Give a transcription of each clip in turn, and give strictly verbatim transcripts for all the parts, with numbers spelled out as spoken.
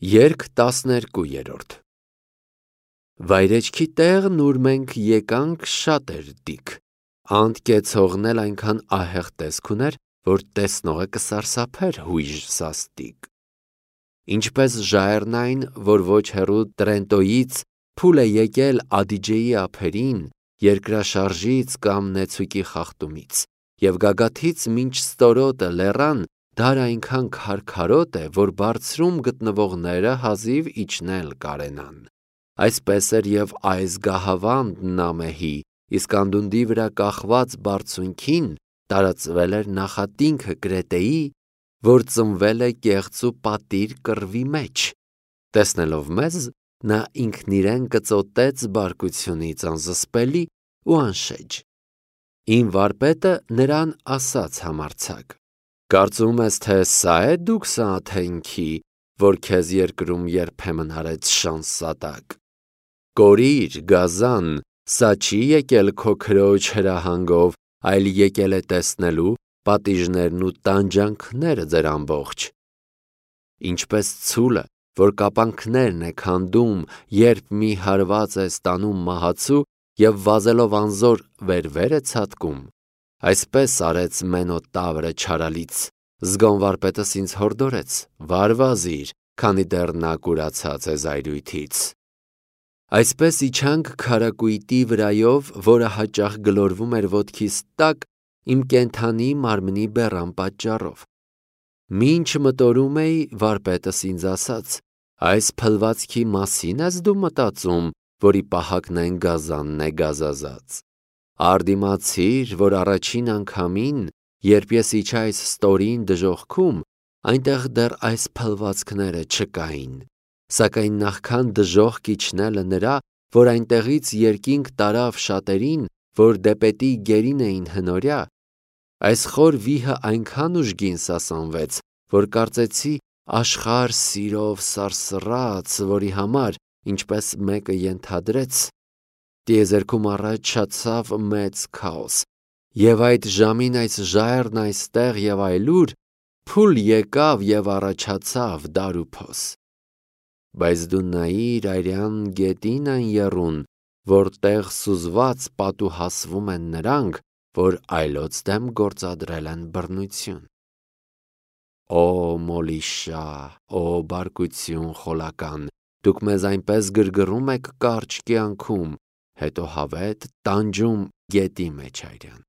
Երգ տասներկուերորդ Վայրեջքի տեղն ուր մենք եկանք շատ էր դիք, անդ կեցողն էլ այնքան ահեղ տեսք ուներ, որ տեսնողը կսարսափեր հույժ սաստիկ։ Ինչպես ժայռն այն, որ ոչ հեռու Տրենտոյից փուլ է եկել Ադիջեի ափերին, երկրաշարժից կամ նեցուկի խախտումից, և գագաթից մինչ ստորոտը լեռան, դար այնքան քարքարոտ է, որ բարձրում գտնվողները հազիվ իջնել կարենան։ Այսպես էր և այս գահավանդն ամեհի, իսկ անդունդի վրա կախված բարձունքին տարածվել էր նախատինքը Կրետեի, որ ծնվել է կեղծու պատիր կռվի մեջ։ Տեսնելով մեզ, նա ինքն իրեն կծոտեց բարկությունից անզսպելի ու անշեջ։ Իմ վարպետը նրան ասաց համարձակ. Կարծում ես, թե սա է դուք Սաաթենքի, որ քեզ երկրում երբեմն արեց շանսատակ։ Կորիր, գազան, սա չի եկել քո քրոջ հրահանգով, այլ եկել է տեսնելու պատիժներն ու տանջանքները ձեր ամբողջ։ Ինչպես ցուլը, որ կապանքներն է քանդում, երբ մի հարված է ստանում մահացու և վազելով անզոր վեր-վեր է ցատկում, այսպես արեց Մենոտ Տավրը չարալից։ Զգոն վարպետս ինձ հորդորեց. վար-վազիր, քանի դեռ նա կուրացած է զայրույթից։ Այսպես իջանք քարակույտի վրայով, որը հաճախ գլորվում էր ոտքիս տակ իմ կենդանի մարմնի բեռան պատճառով։ Մինչ մտորում էի, վարպետս ինձ ասաց. այս փլվածքի մասի՞ն ես դու մտածում, որի պահակն այն գազանն է գազազած։ Առ դիմացիր, որ առաջին անգամին, երբ ես իջա այս ստորին դժոխքում, այնտեղ դեռ այս փլվածքները չկային, սակայն նախքան դժոխք իջնելը նրա, որ այնտեղից երկինք տարավ շատերին, որ դեպետի գերին էին հնորյա, այս խոր վիհը այնքան ուժգին սասանվեց, որ կարծեցի աշխարհ սիրով սարսռաց, որի համար, ինչպես մեկը ենթադրեց, տիեզերքում առաջացավ մեծ քաոս, և այդ ժամին այս ժայռն այստեղ և այլուր փուլ եկավ և առաջացավ դար ու փոս։ Բայց դու նայիր արյան գետին այն եռուն, որտեղ սուզված պատուհասվում են նրանք, որ այլոց դեմ գործադրել են բռնություն։ Օ մոլիշա, օ բարկություն խոլական, դուք մեզ այնպես գրգռում եք կարճ կյանքում, հետո հավետ տանջում գետի մեջ արյան։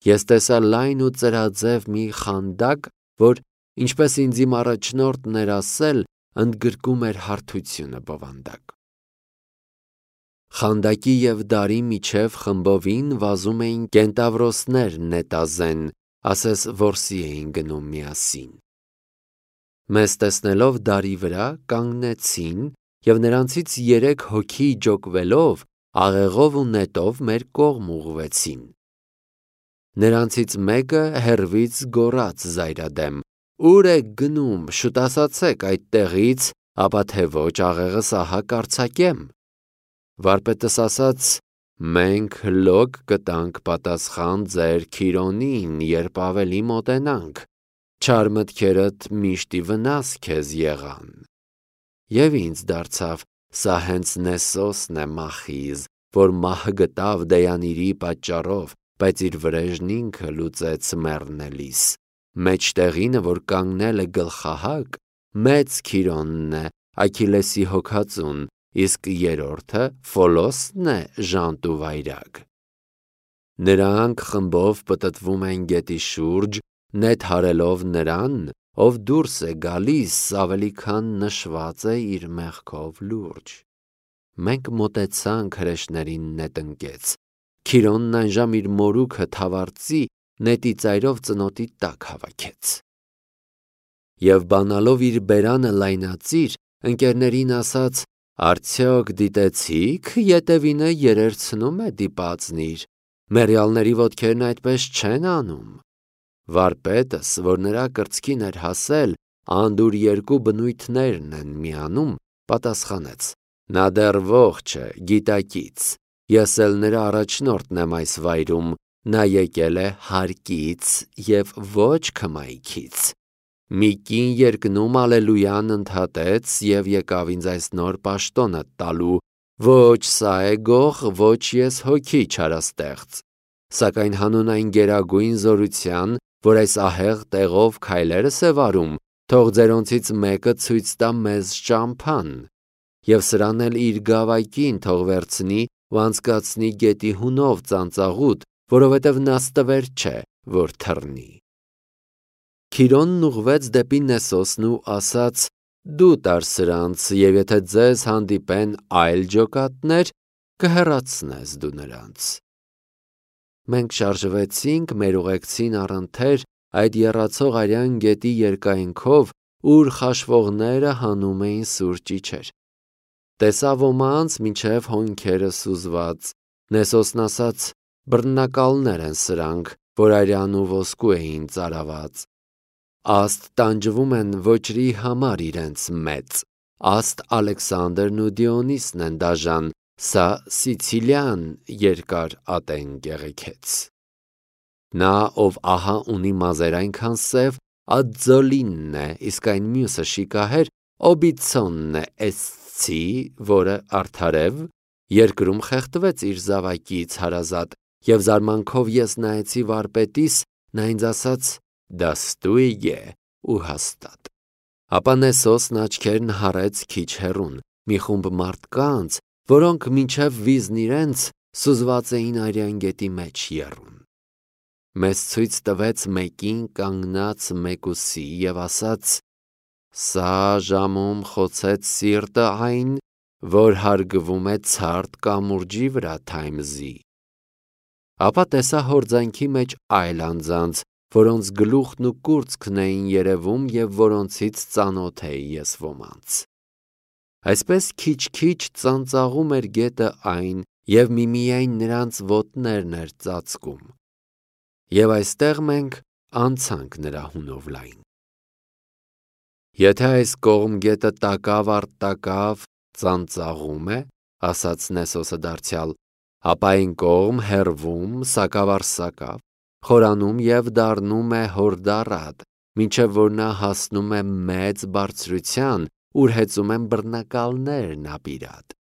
Ես տեսա լայն ու ծրաձև մի խանդակ, որ, ինչպես ինձ իմ առաջնորդն էր ասել, ընդգրկում էր հարթությունը բովանդակ։ Խանդակի և դարի միջև խմբովին վազում էին կենտավրոսներ նետազեն, ասես որսի էին գնում միասին։ Մեզ տեսնելով դարի վրա կանգնեցին և նրանցից երեք հոգի ջոկվելով, աղեղով ու նետով մեր կողմ ուղղվեցին։ Նրանցից մեկը հեռվից գոռաց զայրադեմ. «Ո՞ւր եք գնում, շուտ ասացեք այդտեղից, ապա թե ոչ աղեղս ահա կարձակեմ»։ Վարպետս ասաց. «Մենք հլոք կտանք պատասխան ձեր Քիրոնին, երբ ավելի մոտենանք, չար մտքերդ միշտ ի վնաս քեզ եղան»։ Եվ ինձ դարձավ, սա հենց Նեսոսն է մախիզ, որ մահը գտավ Դեյանիրի պատճառով, բայց իր վրեժն ինքը լուծեց մեռնելիս, մեջտեղինը, որ կանգնել է գլխահակ, մեծ Քիրոնն է, Աքիլեսի հոգածուն, իսկ երրորդը Ֆոլոսն է, ժանտ ու վայրագ։ Նրանք խմբով պտտվում են գետի շուրջ, նետ հարելով նրան, ով դուրս է գալիս, ավելի քան նշված է իր մեղքով լուրջ։ Մենք մոտեցանք հրեշներին նետ ընկեց։ Քիրոնն այնժամ իր մորուքը թավարձի նետի ծայրով ծնոտի տակ հավաքեց։ Եվ բանալով իր բերանը լայնածիր, ընկերներին ասաց. «Արդյոք դիտեցի՞ք ետևինը երերցնում է դիպածնիր, մեռյալների ոտքերն այդպես չեն անում»։ Վարպետս, որ նրա կրծքին էր հասել, անդուր երկու բնույթներն են միանում, պատասխանեց. «Նա դեռ ողջ է, գիտակից, ես էլ նրա առաջնորդն եմ այս վայրում, նա եկել է հարկից և ոչ քմայքից»։ Մի կին երկնում ալելույան ընդհատեց և եկավ ինձ այս նոր պաշտոնը տալու, ոչ սա է գող, ոչ ես հոգի չարաստեղծ, սակայն հանուն այն գերագույն զորության, որ այս ահեղ տեղով քայլերս է վարում, թող ձերոնցից մեկը ցույց տա մեզ ճամփան, և սրան էլ իր գավակին թող վերցնի ու անցկացնի գետի հունով ծանծաղուտ, որովհետև նաստվեր չէ, որ թռնի։ Քիրոնն ուղղվեց դեպի Նեսոսն ու ասաց. «Դու տար սրանց, և եթե ձեզ հանդիպեն այլ ջոկատներ, կհեռացնես դու նրանց»։ Մենք շարժվեցինք մեր ուղեկցին առընթեր այդ եռացող արյան գետի երկայնքով, ուր խաշվողները հանում էին սուրճ իջեր։ Տեսա ոմանց մինչև հոնքերը սուզված։ Նեսոսն ասաց. «Բռնակալներ են սրանք, որ արյան ու ոսկու էին ծարաված։ Աստ տանջվում են ոճրի համար իրենց մեծ, աստ Ալեքսանդրն ու Դիոնիսն են դաժան, սա Սիցիլյան երկար ատեն կեղեքեց։ Նա, ով ահա ունի մազեր այնքան սև, Ադզոլինն է, իսկ այն մյուսը շիկահեր Օբիցոնն է Էսցի, որը արդարև, երկրում խեղդվեց իր զավակից հարազատ, և զարմանքով ես նայեցի վարպետիս, նա ինձ ասաց. դա ստույգ է ու հաստատ։ Ապա Նեսոսն աչքերն հառեց քիչ հեռուն, մի խումբ մարդկանց, որոնք մինչև վիզն իրենց սուզված էին արյան գետի մեջ եռուն։ Մեզ ցույց տվեց մեկին կանգնած մեկուսի և ասաց. «Սա ժամում խոցեց սիրտը այն, որ հարգվում է ցարտ կամուրջի վրա Թայմզի»։ Ապա տեսա հորձանքի մեջ այլ անձանց, որոնց գլուխն ու կուրծքն էին երևում և որոնցից ծանոթ էի ես ոմանց։ Այսպես քիչ-քիչ ծանծաղում էր գետը այն, և միմիայն նրանց ոտներն էր ծածկում։ Եվ այստեղ մենք անցանք նրա հունով լայն։ Եթե այս կողմ գետը տակավ առ տակավ ծանծաղում է, ասաց Նեսոսը դարձյալ, ապա այն կողմ հեռվում, սակավ առ սակավ, խորանում և դառնում է հորդառատ, մինչև որ նա հասնում է մեծ բարձրության, ուր հեծում են բռնակալներն ապիրատ։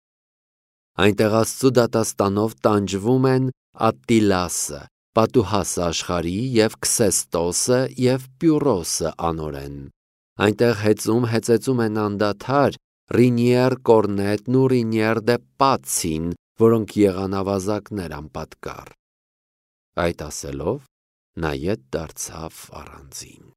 Այնտեղ Աստծու դատաստանով տանջվում են Ատտիլասը, Պատուհասը աշխարհի և Քսեստոսը և Պյուրոսը անօրեն։ Այնտեղ հեծում հեծեծում են անդադար Ռինիեր Կորնետն ու Ռինիեր դե Պացին, որոնք եղան ավազակներ անպատկառ։ Այդ ասելով նա ետ դարձավ առանձին։